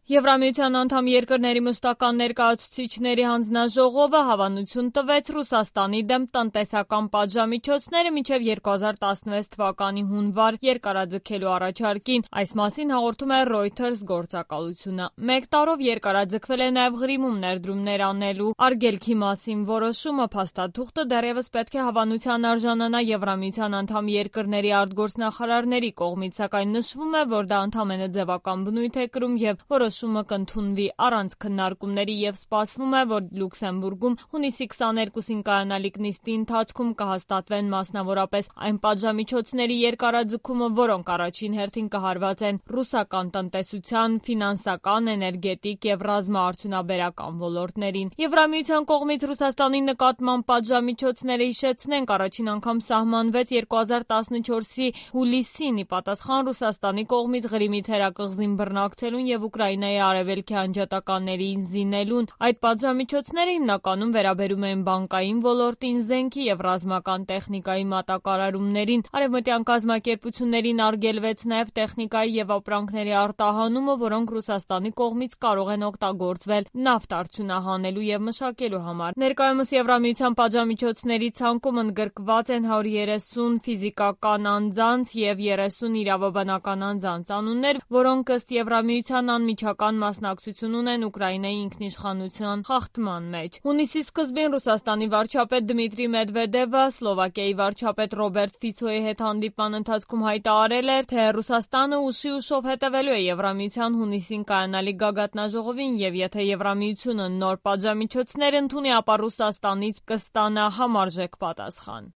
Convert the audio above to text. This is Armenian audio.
Եվրամիության անդամ երկրների մշտական ներկայացուցիչների հանձնաժողովը հավանություն տվեց Ռուսաստանի դեմ տնտեսական պատժամիջոցները մինչև 2016 թվականի հունվար երկարաձգելու առաջարկին։ Այս մասին հաղորդում է Reuters գործակալությունը։ Մեկ տարով երկարաձգվել է նաև Ղրիմում ներդրումներ անելու արգելքի մասին որոշումը։ Փաստաթուղթը դեռևս պետք է հավանության արժանանա Եվրամիության անդամ երկրների արտգործնախարարների կողմից, սակայն նշվում է, որ դա ընդամենը ձևական բնույթ է կրում և որոշումը կընդունվի առանց քննարկումների և սպասվում է, որ Լյուքսեմբուրգում հունիսի 22-ին կայանալիք նիստի ընթացքում կհաստատվեն մասնավորապես այն պատժամիջոցների երկարաձգումը, որոնք առաջին հերթին կհարվածեն ռուսական տնտեսության, ֆինանսական, էներգետիկ և ռազմաարդյունաբերական ոլորտներին։ Եվրամիության կողմից Ռուսաստանի նկատմամբ պատժամիջոցները, հիշեցնենք, առաջին անգամ սահմանվեց 2014-ի հուլիսին՝ ի պատասխան Ռուսաստանի կողմից Ղրիմի թերակղզին բռնակցելուն և Ուկրաինայի արևելքի անջատականներին զինելուն։ Այդ պատժամիջոցները հիմնականում վերաբերում էին բանկային ոլորտին, զենքի և ռազմական տեխնիկայի մատակարարումներին։ Արևմտյան կազմակերպություններին արգելվեց նաև տեխնիկայի և ապրանքների արտահանումը, որոնք Ռուսաստանի կողմից կարող են օգտագործվել նավթ արդյունահանելու և մշակելու համար։ Ներկայումս Եվրամիության պատժամիջոցների ցանկում ընդգրկված են 130 ֆիզիկական անձանց և 30 իրավաբանական անձանց անուններ, որոնք ըստ Եվրամիության անմիջական մասնակցություն ունեն Ուկրաինայի ինքնիշխանության խախտման մեջ։ Հունիսի սկզբին Ռուսաստանի վարչապետ Դմիտրի Մեդվեդևը Սլովակիայի վարչապետ Ռոբերտ Ֆիցոյի հետ հանդիպման ընթացքում հայտարարել էր, թե Ռուսաստանը ուշի-ուշով հետևելու է Եվրամիության հունիսին կայանալիք գագաթնաժողովին և եթե Եվրամիությունը նոր պատժամիջոցներ ընդունի, ապա Ռուսաստանից կստանա համարժեք պատասխան։